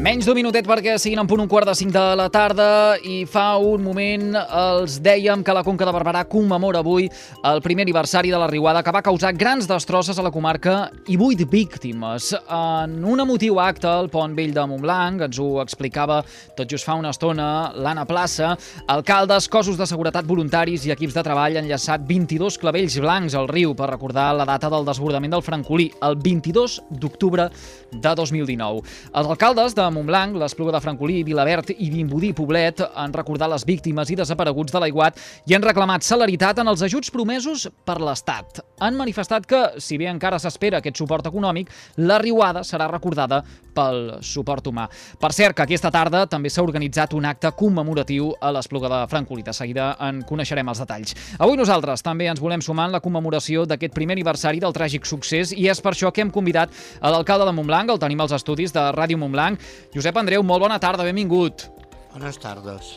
Menys d'un minutet perquè siguin en punt un quart de 5 de la tarda i fa un moment els dèiem que la Conca de Barberà commemora avui el primer aniversari de la riuada que va causar grans destrosses a la comarca i 8 víctimes. En un emotiu acte al Pont Vell de Montblanc, ens ho explicava tot just fa una estona l'Anna Plaça, alcaldes, cossos de seguretat voluntaris i equips de treball han llaçat 22 clavells blancs al riu per recordar la data del desbordament del Francolí, el 22 d'octubre de 2019. Els alcaldes de Montblanc, l'Espluga de Francolí, Vilaverd i Vimbodí Poblet han recordat les víctimes i desapareguts de l'aiguat i han reclamat celeritat en els ajuts promesos per l'Estat. Han manifestat que, si bé encara s'espera aquest suport econòmic, la riuada serà recordada pel suport humà. Per cert, que aquesta tarda també s'ha organitzat un acte commemoratiu a l'Espluga de Francolí. De seguida en coneixerem els detalls. Avui nosaltres també ens volem sumar en la commemoració d'aquest primer aniversari del tràgic succés i és per això que hem convidat a l'alcalde de Montblanc, el tenim als estudis de Ràdio Montblanc. Josep Andreu, molt bona tarda, benvingut. Bones tardes.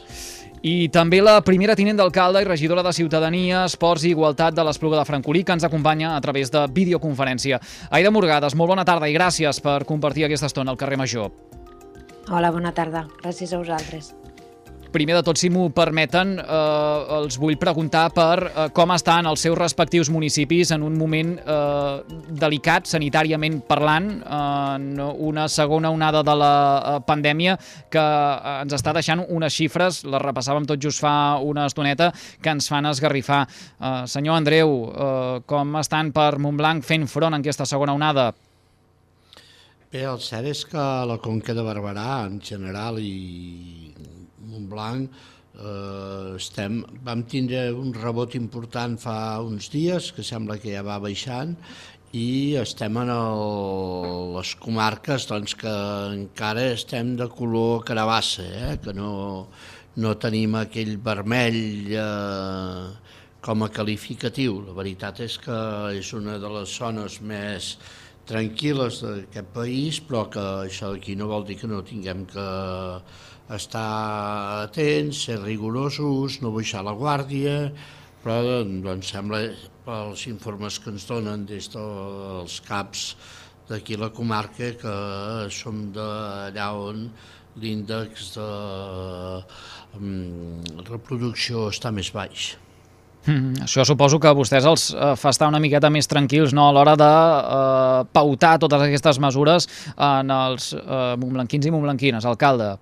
I també la primera tinent d'alcalde i regidora de Ciutadania, Esports i Igualtat de l'Espluga de Francolí, que ens acompanya a través de videoconferència. Aida Morgades, molt bona tarda i gràcies per compartir aquesta estona al carrer Major. Hola, bona tarda. Gràcies a vosaltres. Primer de tot, si m'ho permeten, els vull preguntar per com estan els seus respectius municipis en un moment delicat, sanitàriament parlant, en una segona onada de la pandèmia que ens està deixant unes xifres, les repassàvem tot just fa una estoneta, que ens fan esgarrifar. Senyor Andreu, com estan per Montblanc fent front a aquesta segona onada? Bé, el cert és que la Conca de Barberà, en general, i Montblanc, vam tindre un rebot important fa uns dies, que sembla que ja va baixant, i estem en les comarques que encara estem de color carabassa, que no tenim aquell vermell com a qualificatiu. La veritat és que és una de les zones més tranquil·les d'aquest país, però que això d'aquí no vol dir que no tinguem que estar atents, ser rigorosos, no baixar la guàrdia, però doncs sembla, pels informes que ens donen des dels CAPs d'aquí a la comarca, que som d'allà on l'índex de reproducció està més baix. Això suposo que a vostès els fa estar una miqueta més tranquils, no?, a l'hora de pautar totes aquestes mesures en els montblanquins i montblanquines, alcalde.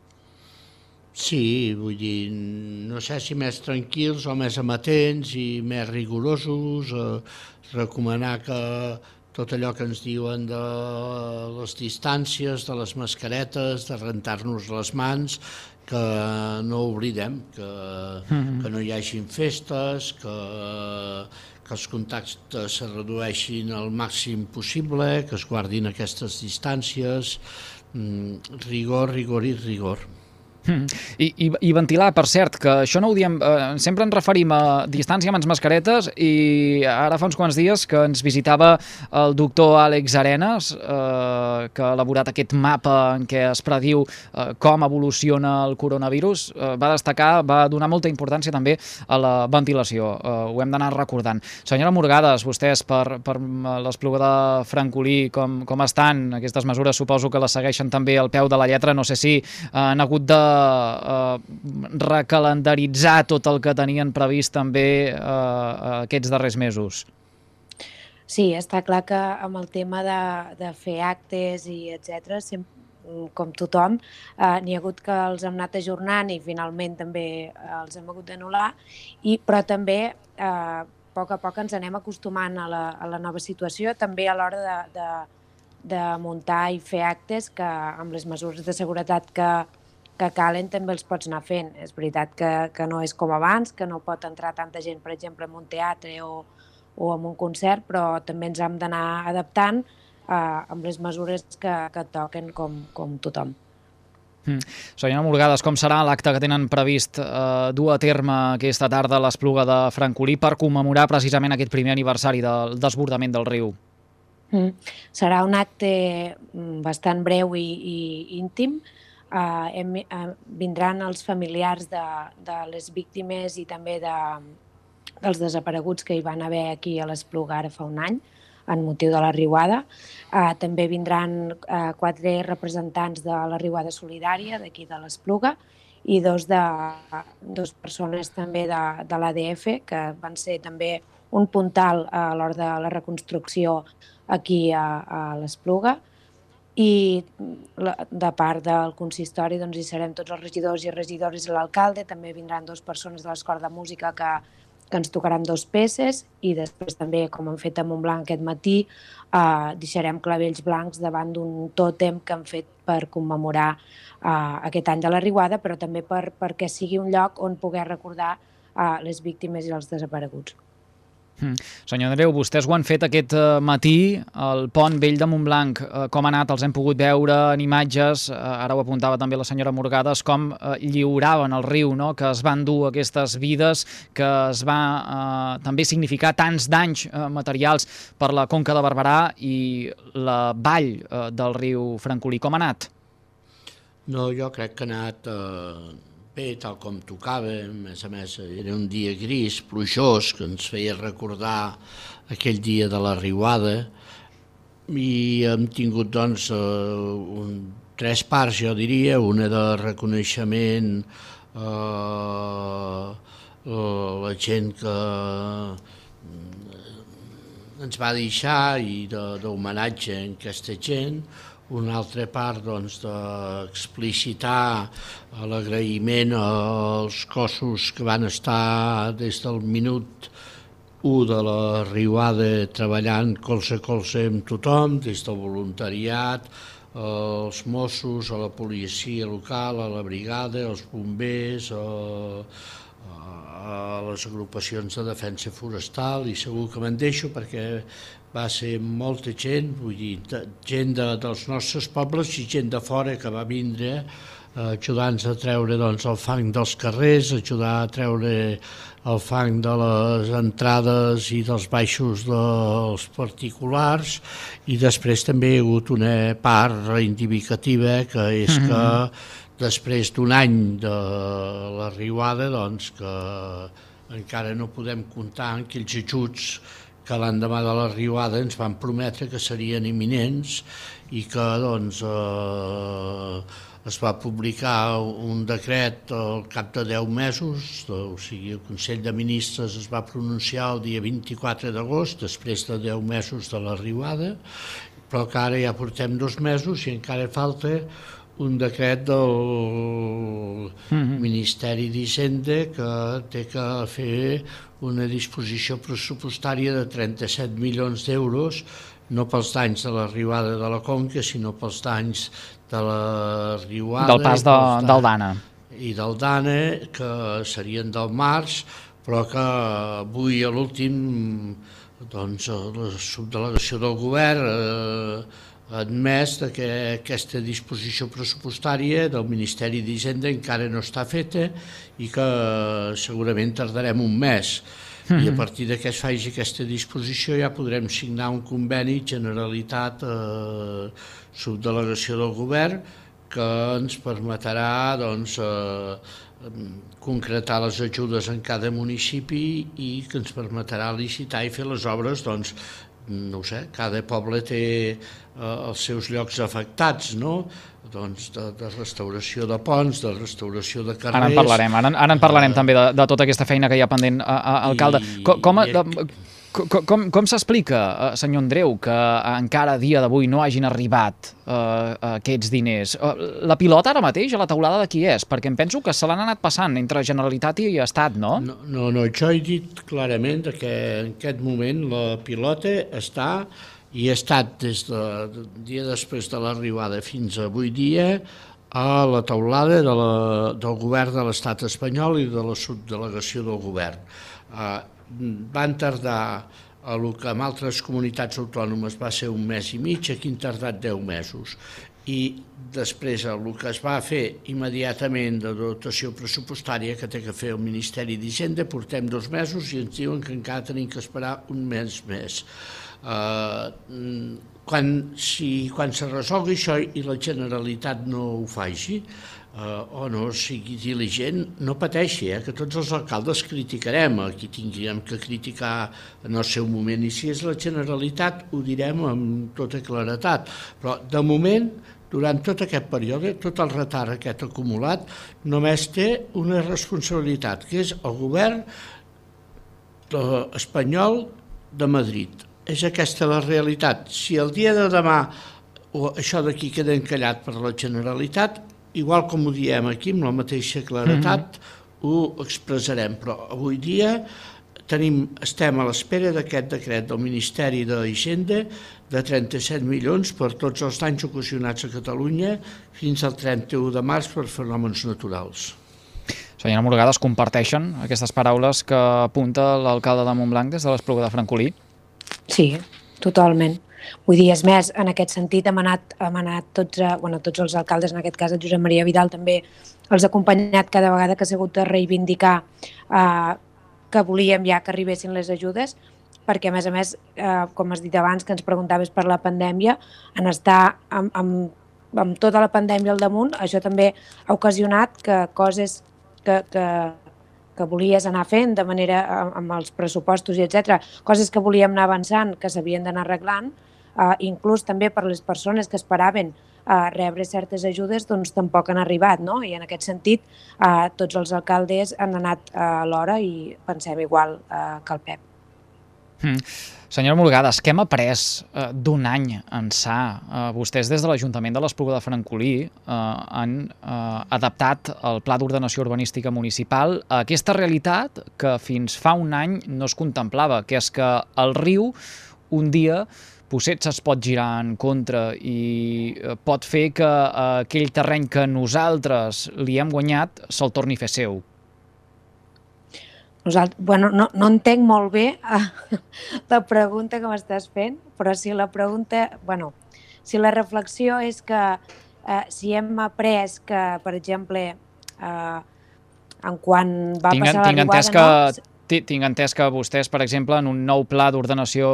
Sí, vull dir, no sé si més tranquils o més amatents i més rigorosos, recomanar que tot allò que ens diuen de les distàncies, de les mascaretes, de rentar-nos les mans, que no oblidem, que no hi hagin festes, que els contactes se redueixin al màxim possible, que es guardin aquestes distàncies, rigor, rigor i rigor. I ventilar, per cert, que això no ho diem, sempre ens referim a distància amb les mascaretes i ara fa uns quants dies que ens visitava el doctor Àlex Arenas, que ha elaborat aquest mapa en què es prediu com evoluciona el coronavirus, va destacar, va donar molta importància també a la ventilació, ho hem d'anar recordant. Senyora Morgades, vostès per l'Espluga de Francolí, com estan? Aquestes mesures suposo que les segueixen també al peu de la lletra, no sé si han hagut de recalendaritzar tot el que tenien previst també aquests darrers mesos. Sí, està clar que amb el tema de fer actes i etcètera, com tothom, n'hi ha hagut que els hem anat ajornant i finalment també els hem hagut d'anul·lar, però també a poc ens anem acostumant a la nova situació, també a l'hora de muntar i fer actes que amb les mesures de seguretat que calen també els pots anar fent. És veritat que no és com abans, que no pot entrar tanta gent, per exemple, en un teatre o en un concert, però també ens hem d'anar adaptant amb les mesures que toquen com tothom. Senyora Morgades, com serà l'acte que tenen previst dur a terme aquesta tarda a l'Espluga de Francolí per commemorar precisament aquest primer aniversari del desbordament del riu? Serà un acte bastant breu i íntim. Vindran els familiars de les víctimes i també dels desapareguts que hi van haver aquí a l'Espluga ara fa un any, en motiu de la riuada. També vindran 4 representants de la riuada solidària d'aquí de l'Espluga i dos persones també de l'ADF, que van ser també un puntal a l'hora de la reconstrucció aquí a l'Espluga. I de part del consistori doncs, hi serem tots els regidors i regidores i l'alcalde. També vindran 2 persones de l'Escola de Música que ens tocaran 2 peces, i després també, com hem fet a Montblanc aquest matí, deixarem clavells blancs davant d'un tòtem que hem fet per commemorar aquest any de la riuada, però també perquè sigui un lloc on poder recordar les víctimes i els desapareguts. Senyor Andreu, vostès ho han fet aquest matí, el pont vell de Montblanc. Com ha anat? Els hem pogut veure en imatges, ara ho apuntava també la senyora Morgades, com lliuraven al riu, no?, que es van dur aquestes vides, que es va també significar tants danys materials per la Conca de Barberà i la vall del riu Francolí. Com ha anat? No, jo crec que ha anat bé, tal com tocava. A més, era un dia gris, plujós, que ens feia recordar aquell dia de la riuada, i hem tingut, doncs, 3 parts, jo diria, una de reconeixement a la gent que ens va deixar i d'homenatge a aquesta gent. Una altra part, doncs, d'explicitar l'agraïment als cossos que van estar des del minut 1 de la riuada treballant colze a colze amb tothom, des del voluntariat, als Mossos, a la policia local, a la brigada, als bombers, a les agrupacions de defensa forestal, i segur que me'n deixo perquè va ser molta gent, vull dir, gent dels nostres pobles i gent de fora que va vindre ajudant-nos a treure, doncs, el fang dels carrers, ajudar a treure el fang de les entrades i dels baixos dels particulars, i després també hi ha hagut una part reivindicativa, que és que després d'un any de la riuada, doncs, que encara no podem comptar en aquells ajuts que l'endemà de la riuada ens van prometre que serien imminents, i que, doncs, es va publicar un decret al cap de 10 mesos, o sigui, el Consell de Ministres es va pronunciar el dia 24 d'agost, després de 10 mesos de la riuada, però que ara ja portem 2 mesos i encara falta un decret del Ministeri d'Hisenda que té que fer una disposició pressupostària de 37 milions d'euros, no pels danys de la riuada de la Conca, sinó pels danys de la riuada... Del pas del Dana. I del Dana, que serien del març, però que avui a l'últim, doncs, la subdelegació del govern ha admès que aquesta disposició pressupostària del Ministeri d'Hisenda encara no està feta i que segurament tardarem un mes. I a partir que es faci aquesta disposició ja podrem signar un conveni Generalitat subdelegació del govern que ens permetrà, doncs, concretar les ajudes en cada municipi i que ens permetrà licitar i fer les obres, doncs, no ho sé, cada poble té els seus llocs afectats, no? Doncs de restauració de ponts, de restauració de carrers... Ara en parlarem també de tota aquesta feina que hi ha pendent, alcalde. Com s'explica, senyor Andreu, que encara a dia d'avui no hagin arribat aquests diners? La pilota ara mateix a la taulada de qui és? Perquè em penso que se l'han anat passant entre Generalitat i Estat, no? No, jo he dit clarament que en aquest moment la pilota està i ha estat des del dia després de l'arribada fins avui dia a la taulada del govern de l'estat espanyol i de la subdelegació del govern. Van tardar, el que en altres comunitats autònomes va ser 1 mes i mig, aquí han tardat 10 mesos. I després el que es va fer immediatament de dotació pressupostària que té que fer el Ministeri d'Hisenda, portem 2 mesos i ens diuen que encara tenim que esperar 1 mes més. quan se resolgui això i la Generalitat no ho faci, o no sigui diligent, no pateixi, que tots els alcaldes criticarem, qui tinguem que criticar en el seu moment, i si és la Generalitat ho direm amb tota claretat, però de moment, durant tot aquest període, tot el retard aquest acumulat, només té una responsabilitat, que és el govern espanyol de Madrid. És aquesta la realitat. Si el dia de demà això d'aquí queda encallat per la Generalitat, igual com ho diem aquí, amb la mateixa claretat, ho expressarem. Però avui dia estem a l'espera d'aquest decret del Ministeri d'Hisenda de 37 milions per tots els danys ocasionats a Catalunya fins al 31 de març per fenòmens naturals. Senyora Morgades, comparteixen aquestes paraules que apunta l'alcalde de Montblanc des de l'Espluga de Francolí? Sí, totalment. Vull dir, és més, en aquest sentit hem anat tots els alcaldes, en aquest cas el Josep Maria Vidal també els ha acompanyat cada vegada que ha sigut de reivindicar que volíem ja que arribessin les ajudes, perquè a més, com has dit abans, que ens preguntaves per la pandèmia, en estar amb tota la pandèmia al damunt, això també ha ocasionat que coses que volies anar fent de manera amb els pressupostos i etc. Coses que volíem anar avançant, que s'havien d'anar arreglant, inclús també per les persones que esperaven rebre certes ajudes, doncs tampoc han arribat, no? I en aquest sentit tots els alcaldes han anat a l'hora i pensem igual que el Pep. Senyora Morgades, què hem après d'un any ençà? Vostès des de l'Ajuntament de l'Espluga de Francolí han adaptat el Pla d'Ordenació Urbanística Municipal a aquesta realitat que fins fa un any no es contemplava, que és que el riu un dia potser es pot girar en contra i pot fer que aquell terreny que nosaltres li hem guanyat se'l torni a fer seu. No entenc molt bé la pregunta que m'estàs fent, però si la reflexió és que si hem après que, per exemple, en quan va passar la riuada... Tinc entès que vostès, per exemple, en un nou pla d'ordenació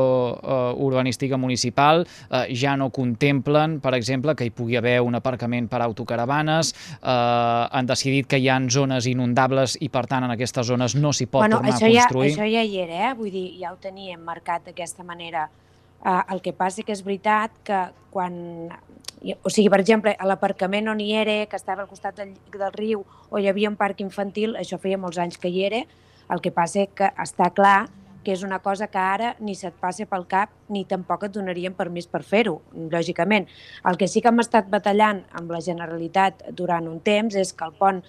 urbanística municipal ja no contemplen, per exemple, que hi pugui haver un aparcament per autocaravanes, han decidit que hi ha zones inundables i, per tant, en aquestes zones no s'hi pot tornar a construir. Això ja hi era, vull dir, ja ho teníem marcat d'aquesta manera. El que passa que és veritat que quan... O sigui, per exemple, a l'aparcament on hi era, que estava al costat del riu, o hi havia un parc infantil, això feia molts anys que hi era. El que passa que està clar que és una cosa que ara ni se't passa pel cap ni tampoc et donarien permís per fer-ho, lògicament. El que sí que hem estat batallant amb la Generalitat durant un temps és que el pont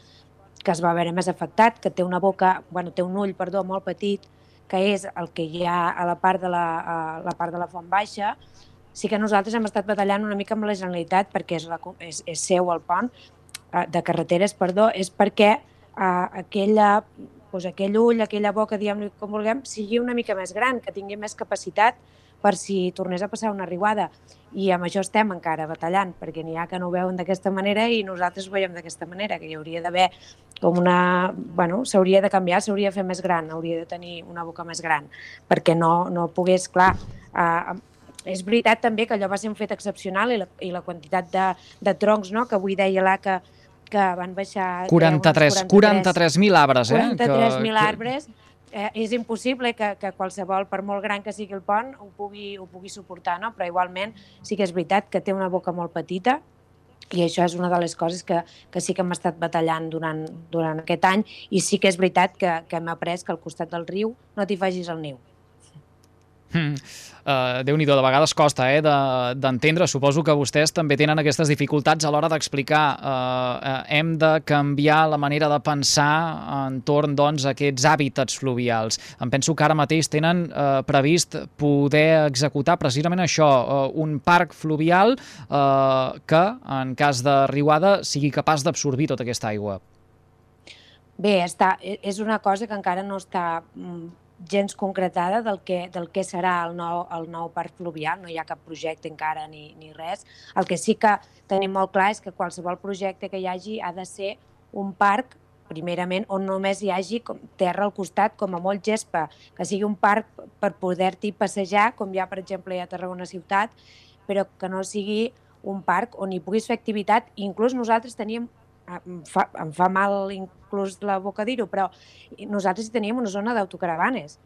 que es va veure més afectat, que té un ull molt petit, que és el que hi ha a la part de la Font Baixa, sí que nosaltres hem estat batallant una mica amb la Generalitat perquè és seu el pont de carreteres, és perquè aquell ull, aquella boca, diguem-li com vulguem, sigui una mica més gran, que tingui més capacitat per si tornés a passar una riuada. I amb això estem encara batallant, perquè n'hi ha que no ho veuen d'aquesta manera i nosaltres ho veiem d'aquesta manera, que hi hauria d'haver com una... s'hauria de canviar, s'hauria de fer més gran, hauria de tenir una boca més gran, perquè no pogués, clar... És veritat també que allò va ser un fet excepcional i la quantitat de troncs, que avui deia l'ACA, que van baixar... 43.000 arbres, 43.000 arbres. És impossible que qualsevol, per molt gran que sigui el pont, ho pugui suportar, no? Però igualment sí que és veritat que té una boca molt petita i això és una de les coses que sí que hem estat batallant durant aquest any i sí que és veritat que hem après que al costat del riu no t'hi facis el niu. Déu-n'hi-do, de vegades costa d'entendre. Suposo que vostès també tenen aquestes dificultats a l'hora d'explicar hem de canviar la manera de pensar entorn a aquests hàbitats fluvials. Em penso que ara mateix tenen previst poder executar precisament això, un parc fluvial que en cas de riuada sigui capaç d'absorbir tota aquesta aigua. Bé, és una cosa que encara no està gens concretada del que serà el nou parc fluvial, no hi ha cap projecte encara ni res. El que sí que tenim molt clar és que qualsevol projecte que hi hagi ha de ser un parc, primerament, on només hi hagi terra al costat, com a molt gespa, que sigui un parc per poder-t'hi passejar, com hi ha, per exemple, a Tarragona Ciutat, però que no sigui un parc on hi puguis fer activitat. Inclús nosaltres teníem, em fa mal inclús la boca dir-ho, però nosaltres hi teníem una zona d'autocaravanes.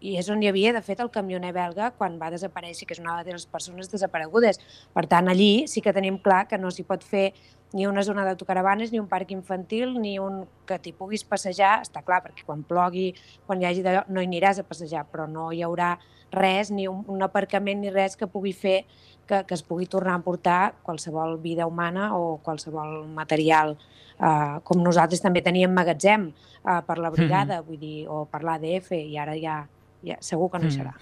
I és on hi havia, de fet, el camioner belga quan va desaparèixer, que és una de les persones desaparegudes. Per tant, allí sí que tenim clar que no s'hi pot fer ni una zona d'autocaravanes, ni un parc infantil, ni un que t'hi puguis passejar. Està clar, perquè quan plogui, quan hi hagi d'allò, no hi aniràs a passejar, però no hi haurà res, ni un aparcament ni res que pugui fer que es pugui tornar a emportar qualsevol vida humana o qualsevol material. Com nosaltres també teníem magatzem per la brigada, vull dir, o per l'ADF, i ara ja segur que no hi serà.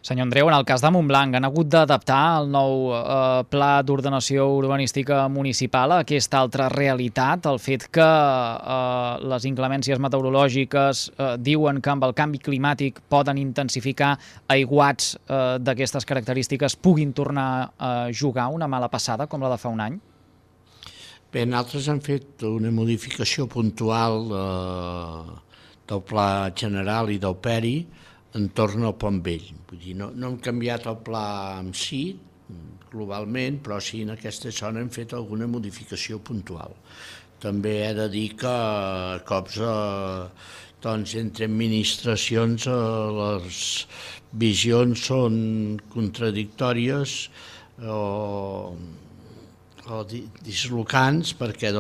Senyor Andreu, en el cas de Montblanc, han hagut d'adaptar el nou pla d'ordenació urbanística municipal a aquesta altra realitat, el fet que les inclemències meteorològiques diuen que amb el canvi climàtic poden intensificar aiguats d'aquestes característiques, puguin tornar a jugar una mala passada com la de fa un any? Bé, nosaltres hem fet una modificació puntual del pla general i del PERI entorn al Pont Vell. Vull dir, no hem canviat el pla en si, globalment, però sí en aquesta zona hem fet alguna modificació puntual. També he de dir que cops entre administracions les visions són contradictòries o dislocants, perquè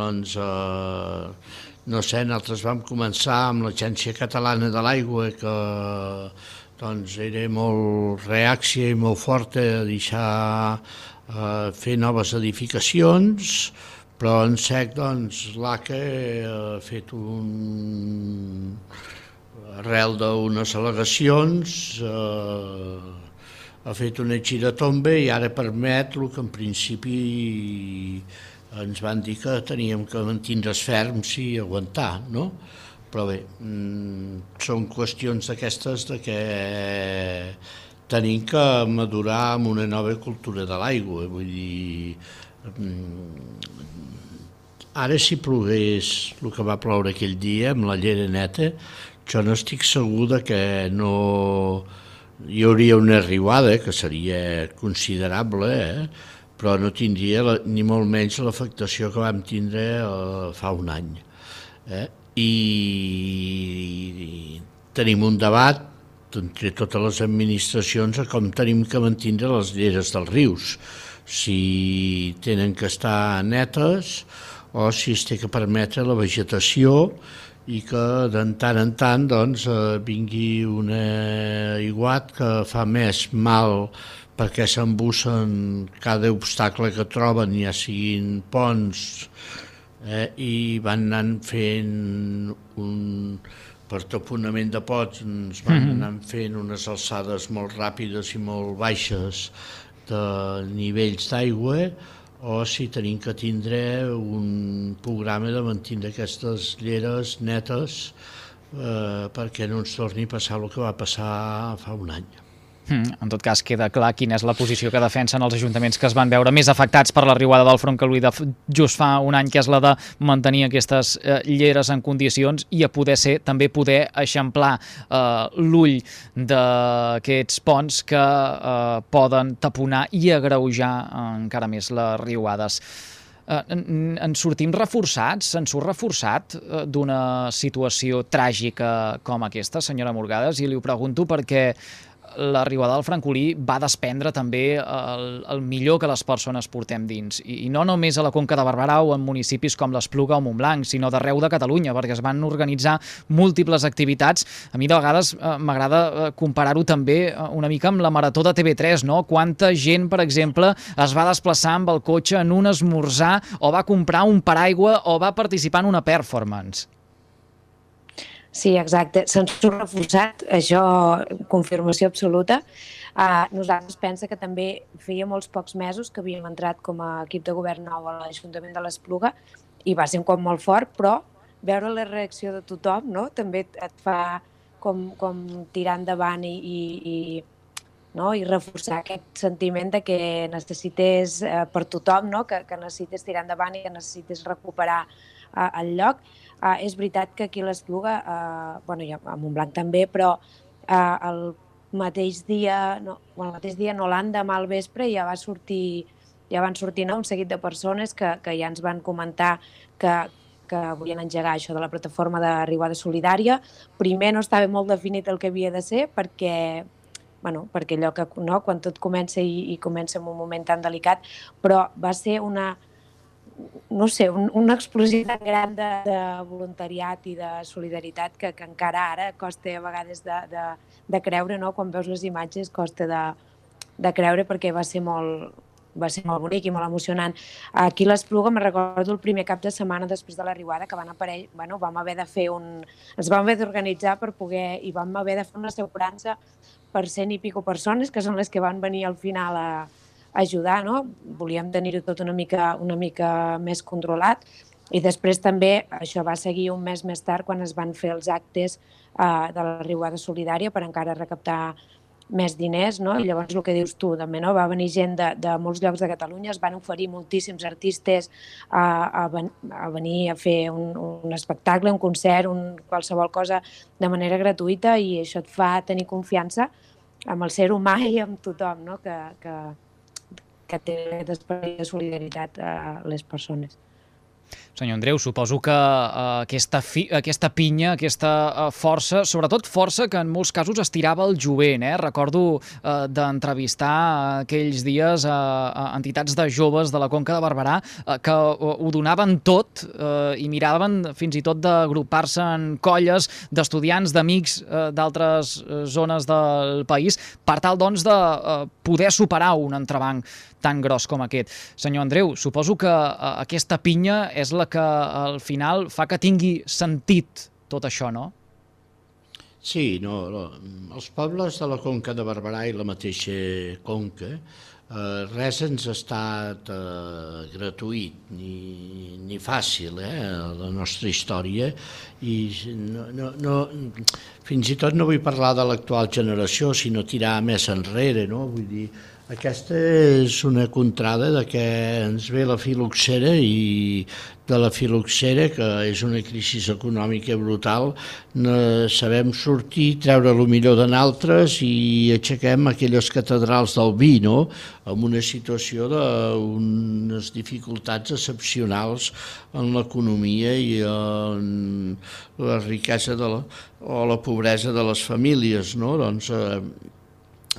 no sé, nosaltres vam començar amb l'Agència Catalana de l'Aigua, que era molt reàccia i molt forta a deixar fer noves edificacions, però en sec l'ACA ha fet arrel d'unes al·legacions, ha fet una giratomba i ara permet el que en principi ens van dir que teníem que mantindre's ferms i aguantar, no? Però bé, són qüestions d'aquestes que tenim que madurar amb una nova cultura de l'aigua. Vull dir, ara si plogués el que va ploure aquell dia amb la llera neta, jo no estic segur que no hi hauria una riuada, que seria considerable, però no tindria ni molt menys l'afectació que vam tindre fa un any. I tenim un debat entre totes les administracions a com tenim que mantindre les lleres dels rius, si tenen que estar netes o si es té que permetre la vegetació i que de tant en tant vingui un aiguat que fa més mal perquè s'embussen cada obstacle que troben, ja siguin ponts, i van anant fent per taponament de ponts, van anant fent unes alçades molt ràpides i molt baixes de nivells d'aigua, o si tenim que tindre un programa de mantenir aquestes lleres netes perquè no ens torni a passar el que va passar fa un any. En tot cas, queda clar quina és la posició que defensen els ajuntaments que es van veure més afectats per la riuada del Francolí just fa un any, que és la de mantenir aquestes lleres en condicions i a també poder eixamplar l'ull d'aquests ponts que poden taponar i agreujar encara més les riuades. En sortim reforçats? Se'n surt reforçat d'una situació tràgica com aquesta, senyora Morgades? I li ho pregunto perquè la riuada del Francolí va desprendre també el millor que les persones portem dins. I no només a la Conca de Barberà o en municipis com l'Espluga o Montblanc, sinó d'arreu de Catalunya, perquè es van organitzar múltiples activitats. A mi de vegades m'agrada comparar-ho també una mica amb la Marató de TV3, no? Quanta gent, per exemple, es va desplaçar amb el cotxe en un esmorzar o va comprar un paraigua o va participar en una performance. Sí, exacte. Se'n surt reforçat, això, confirmació absoluta. Nosaltres pensa que també feia molts pocs mesos que havíem entrat com a equip de govern nou a l'Ajuntament de l'Espluga i va ser un cop molt fort, però veure la reacció de tothom, no?, també et fa com tirar endavant i reforçar aquest sentiment de que necessites per tothom, no?, que necessites tirar endavant i que necessites recuperar el lloc. És veritat que aquí a l'Espluga, i a Montblanc també, però mateix dia, no, l'endemà al vespre ja van sortir un seguit de persones que ja ens van comentar que volien engegar això de la plataforma de Riuada Solidària. Primer no estava molt definit el que havia de ser perquè allò que, no, quan tot comença i comença en un moment tan delicat, però va ser una explosió tan gran de voluntariat i de solidaritat que encara ara costa a vegades de creure, no? Quan veus les imatges costa de creure, perquè va ser molt bonic i molt emocionant. Aquí a l'Espluga me'n recordo el primer cap de setmana després de la riuada que van aparèixer, vam haver de fer ens vam haver d'organitzar per poder, i vam haver de fer una assegurança per 100 i pico persones, que són les que van venir al final a ajudar, no? Volíem tenir-ho tot una mica més controlat, i després també això va seguir un mes més tard quan es van fer els actes de la riuada solidària per encara recaptar més diners, no? I llavors el que dius tu també, no? Va venir gent de molts llocs de Catalunya, es van oferir moltíssims artistes a venir a fer un espectacle, un concert, qualsevol cosa de manera gratuïta, i això et fa tenir confiança amb el ser humà i amb tothom, no? Que té aquest esperit de solidaritat a les persones. Senyor Andreu, suposo que aquesta pinya, aquesta força, sobretot força que en molts casos estirava el jovent. Recordo d'entrevistar aquells dies a entitats de joves de la Conca de Barberà que ho donaven tot i miraven fins i tot d'agrupar-se en colles d'estudiants, d'amics d'altres zones del país per tal, doncs, de poder superar un entrebanc tan gros com aquest. Senyor Andreu, suposo que aquesta pinya és la que al final fa que tingui sentit tot això, no? Sí, els pobles de la Conca de Barberà i la mateixa Conca, res ens ha estat gratuït ni fàcil, la nostra història, i fins i tot no vull parlar de l'actual generació, sinó tirar més enrere, no? Vull dir, aquesta és una contrada de que ens ve la filoxera, i de la filoxera, que és una crisi econòmica brutal, sabem sortir, treure el millor de nosaltres i aixequem aquelles catedrals del vi, no? En una situació d'unes dificultats excepcionals en l'economia i en la riquesa o la pobresa de les famílies, no? Doncs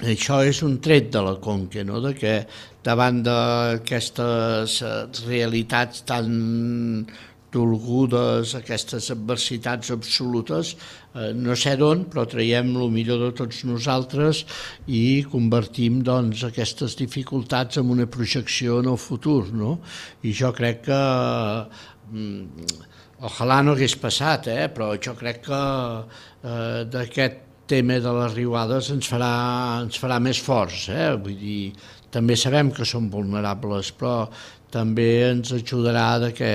això és un tret de la Conca, no? De que davant d'aquestes realitats tan dolgudes, aquestes adversitats absolutes, no sé d'on, però traiem el millor de tots nosaltres i convertim, doncs, aquestes dificultats en una projecció en el futur, no? I jo crec que ojalà no hagués passat, però jo crec que d'aquest tema de les riuades ens farà més forts, vull dir, també sabem que som vulnerables, però també ens ajudarà que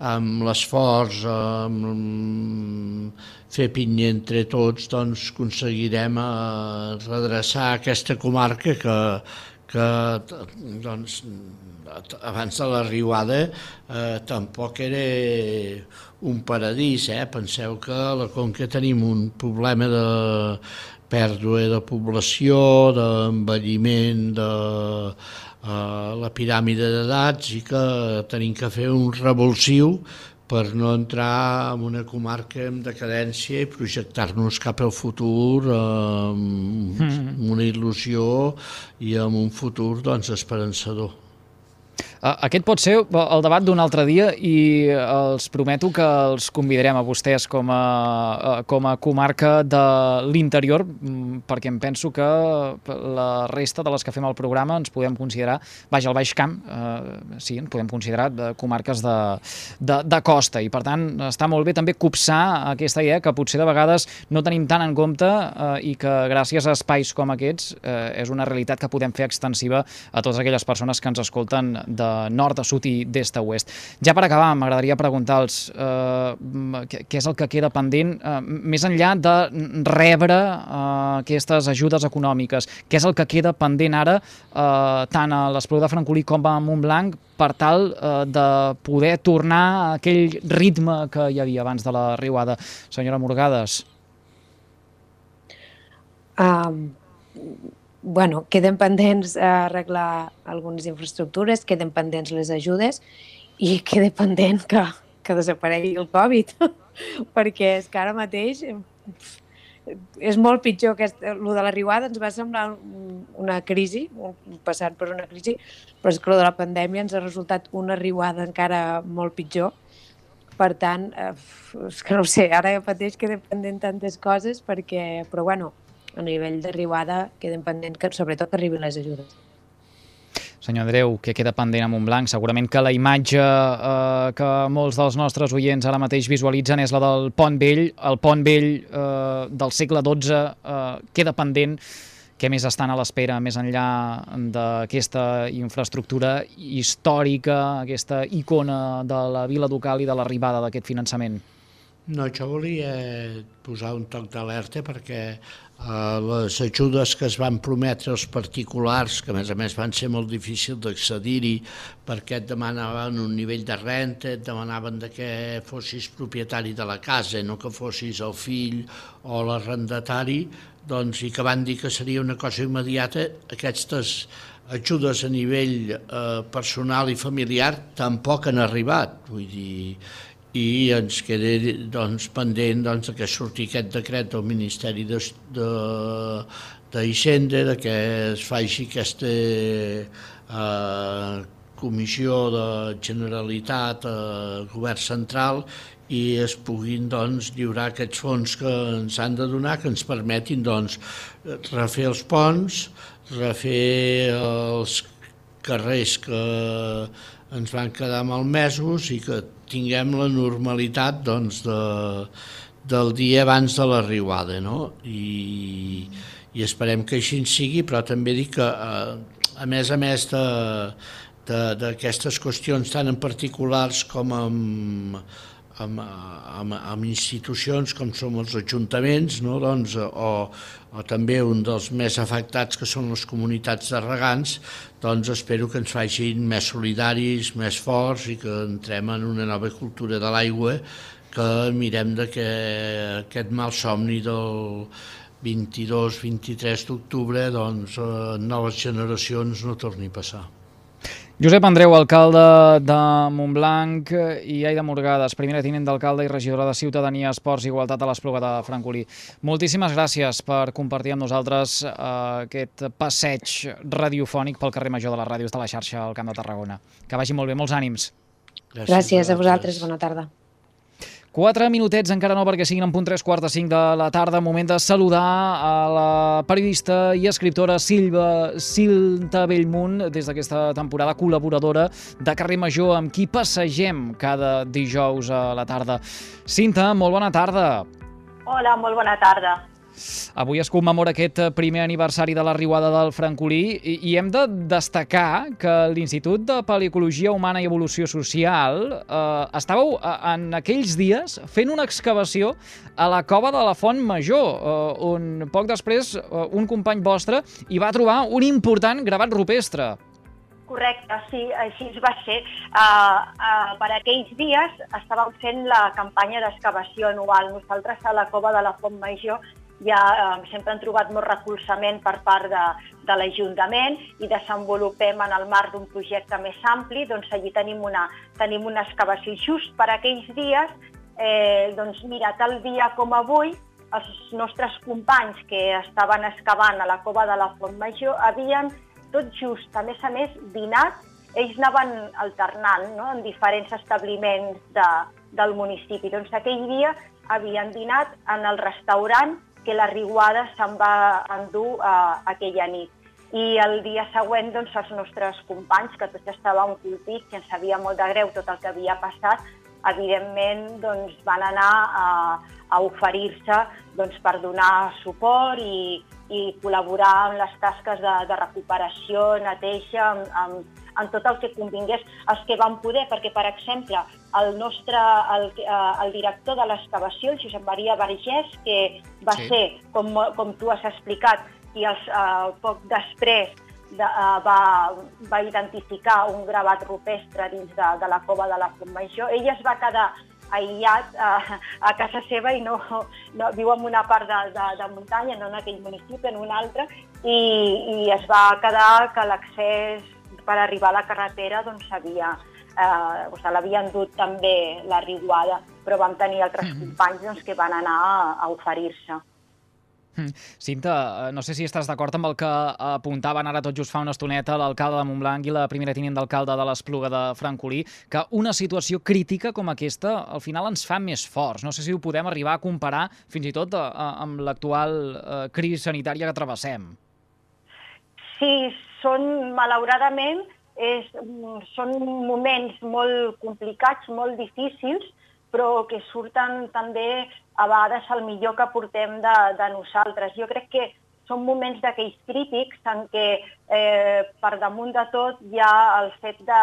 amb l'esforç, amb fer pinya entre tots, doncs aconseguirem redreçar aquesta comarca que doncs, abans de la riuada tampoc era un paradís. Penseu que a la Conca tenim un problema de pèrdua de població, d'envelliment de la piràmide d'edats, i que tenim que fer un revulsiu per no entrar en una comarca en decadència i projectar-nos cap al futur amb una il·lusió i amb un futur, doncs, esperançador. Aquest pot ser el debat d'un altre dia, i els prometo que els convidarem a vostès com a comarca de l'interior, perquè em penso que la resta de les que fem el programa ens podem considerar, al Baix Camp, sí, ens podem considerar comarques de costa, i per tant està molt bé també copsar aquesta idea que potser de vegades no tenim tant en compte, i que gràcies a espais com aquests és una realitat que podem fer extensiva a totes aquelles persones que ens escolten de nord a sud i d'est a oest. Ja per acabar, m'agradaria preguntar-los què és el que queda pendent, més enllà de rebre aquestes ajudes econòmiques, què és el que queda pendent ara tant a l'Espluga de Francolí com a Montblanc per tal de poder tornar a aquell ritme que hi havia abans de la riuada. Senyora Morgades. Bueno, queden pendents arreglar algunes infraestructures, queden pendents les ajudes i queda pendent que desaparegui el Covid, perquè és que ara mateix és molt pitjor. El de la riuada ens va semblar una crisi, passant per una crisi, però és que el de la pandèmia ens ha resultat una riuada encara molt pitjor. Per tant, és que no ho sé, ara mateix queden pendent tantes coses, però bueno, a nivell de riuada queden pendent que sobretot arribin les ajudes. Senyor Andreu, què queda pendent a Montblanc? Segurament que la imatge que molts dels nostres oients ara mateix visualitzen és la del Pont Vell. El Pont Vell del segle XII queda pendent. Què més estan a l'espera més enllà d'aquesta infraestructura històrica, aquesta icona de la Vila Ducal i de l'arribada d'aquest finançament? No, jo volia posar un toc d'alerta perquè les ajudes que es van prometre als particulars, que a més van ser molt difícils d'accedir-hi perquè et demanaven un nivell de renta, et demanaven que fossis propietari de la casa, no que fossis el fill o l'arrendatari, doncs, i que van dir que seria una cosa immediata, aquestes ajudes a nivell personal i familiar tampoc han arribat, vull dir, i ens queda pendent que surti aquest decret del Ministeri d'Hisenda, que es faci aquesta comissió de Generalitat, Govern Central, i es puguin lliurar aquests fons que ens han de donar, que ens permetin refer els ponts, refer els carrers que ens van quedar malmesos i que tinguem la normalitat del dia abans de la riuada, no? I esperem que així sigui, però també dic que a més d'aquestes qüestions tan en particulars com amb institucions com som els ajuntaments, no? O també un dels més afectats, que són les comunitats de regants, espero que ens facin més solidaris, més forts i que entrem en una nova cultura de l'aigua, que mirem que aquest malsomni del 22-23 d'octubre en noves generacions no torni a passar. Josep Andreu, alcalde de Montblanc, i Aida Morgades, primera tinent d'alcalde i regidora de Ciutadania, Esports i Igualtat a l'Espluga de Francolí. Moltíssimes gràcies per compartir amb nosaltres aquest passeig radiofònic pel carrer Major de les ràdios de la xarxa al Camp de Tarragona. Que vagi molt bé, molts ànims. Gràcies a vosaltres, bona tarda. 4 minutets, encara no, perquè siguin en punt 3:45 de la tarda. Moment de saludar a la periodista i escriptora Cinta Bellmunt, des d'aquesta temporada col·laboradora de Carrer Major, amb qui passegem cada dijous a la tarda. Cinta, molt bona tarda. Hola, molt bona tarda. Avui es commemora aquest primer aniversari de la riuada del Francolí i hem de destacar que l'Institut de Paleocologia Humana i Evolució Social estàveu en aquells dies fent una excavació a la cova de la Font Major, on poc després un company vostre hi va trobar un important gravat rupestre. Correcte, sí, així va ser. Per aquells dies estàvem fent la campanya d'excavació anual. Nosaltres a la cova de la Font Major ja sempre hem trobat molt recolzament per part de l'Ajuntament i desenvolupem en el marc d'un projecte més ampli. Doncs allí tenim una excavació. Just per aquells dies, doncs mira, tal dia com avui, els nostres companys que estaven excavant a la cova de la Font Major havien tot just, a més, dinat. Ells anaven alternant, no?, en diferents establiments del municipi. Doncs aquell dia havien dinat en el restaurant que la riuada se'n va endur aquella nit. I el dia següent, doncs, els nostres companys, que tots estàvem colpits i ens sabia molt de greu tot el que havia passat, evidentment doncs, van anar a oferir-se per donar suport i col·laborar en les tasques de recuperació, neteja, en tot el que convingués, els que van poder, perquè, per exemple, el director de l'excavació, el Josep Maria Vergés, que va ser, com tu has explicat, i poc després va identificar un gravat rupestre dins de la cova de la Font Major, ell es va quedar aïllat a casa seva i no viu en una part de muntanya, no en aquell municipi, en un altre, i es va quedar que l'accés per arribar a la carretera doncs l'havien dut també la riuada, però vam tenir altres companys doncs, que van anar a oferir-se. Cinta, no sé si estàs d'acord amb el que apuntaven ara tot just fa una estoneta l'alcalde de Montblanc i la primera tinent d'alcalde de l'Espluga de Francolí, que una situació crítica com aquesta al final ens fa més forts. No sé si ho podem arribar a comparar fins i tot amb l'actual crisi sanitària que travessem. Sí, malauradament, són moments molt complicats, molt difícils, però que surten també a vegades el millor que portem de nosaltres. Jo crec que són moments d'aquells crítics en què per damunt de tot hi ha el fet de,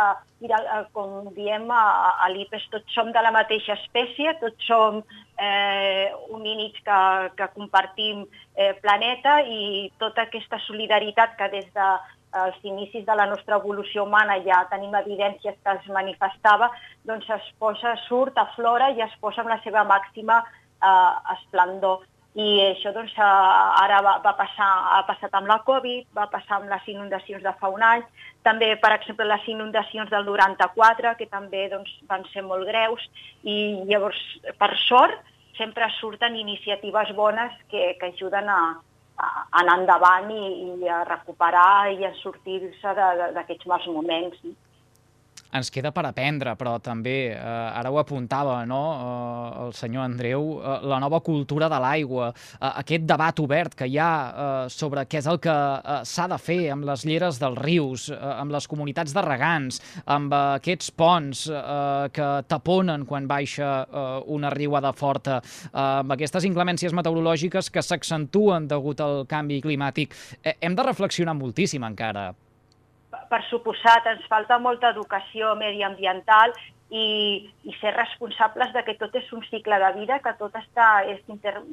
com diem a l'IPES, tots som de la mateixa espècie, tots som homínids que compartim planeta, i tota aquesta solidaritat que des dels inicis de la nostra evolució humana ja tenim evidències que es manifestava, doncs surt, aflora i es posa amb la seva màxima esplendor. I això doncs, ara ha passat amb la Covid, va passar amb les inundacions de fa un any, també, per exemple, les inundacions del 94, que també doncs, van ser molt greus, i llavors, per sort, sempre surten iniciatives bones que ajuden a anar endavant i a recuperar i a sortir-se d'aquests mals moments. Ens queda per aprendre, però també, ara ho apuntava el senyor Andreu, la nova cultura de l'aigua, aquest debat obert que hi ha sobre què és el que s'ha de fer amb les lleres dels rius, amb les comunitats de regants, amb aquests ponts que taponen quan baixa una riuada forta, amb aquestes inclemències meteorològiques que s'accentuen degut al canvi climàtic. Hem de reflexionar moltíssim encara. Per suposat, ens falta molta educació mediambiental i ser responsables de que tot és un cicle de vida, que tot és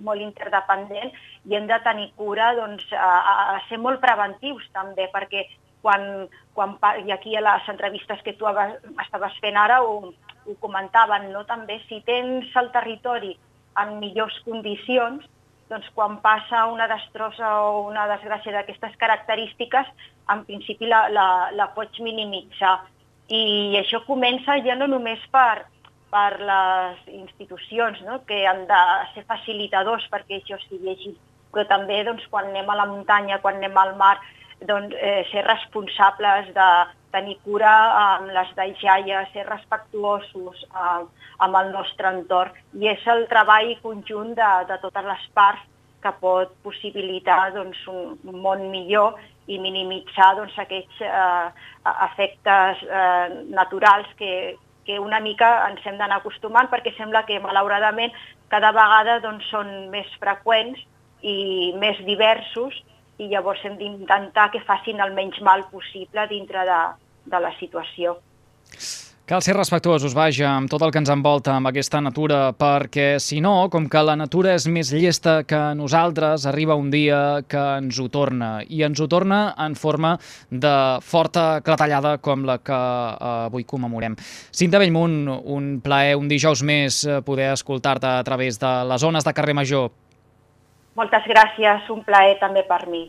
molt interdependent, i hem de tenir cura a ser molt preventius també, perquè i aquí a les entrevistes que tu estaves fent ara ho comentaven, també si tens el territori en millors condicions, doncs quan passa una destrossa o una desgràcia d'aquestes característiques, en principi la pots minimitzar. I això comença ja no només per les institucions, que han de ser facilitadors perquè això sigui així, però també quan anem a la muntanya, quan anem al mar, ser responsables de tenir cura amb les deixalles, ser respectuosos amb el nostre entorn. I és el treball conjunt de totes les parts que pot possibilitar un món millor i minimitzar aquests efectes naturals que una mica ens hem d'anar acostumant, perquè sembla que malauradament cada vegada són més freqüents i més diversos, i llavors hem d'intentar que facin el menys mal possible dintre de la situació. Cal ser respectuosos, vaja, amb tot el que ens envolta, amb aquesta natura, perquè si no, com que la natura és més llesta que nosaltres, arriba un dia que ens ho torna, i ens ho torna en forma de forta clatellada com la que avui commemorem. Cinta Bellmunt, un plaer, un dijous més, poder escoltar-te a través de les ones de Carrer Major. Moltes gràcies, un plaer també per mi.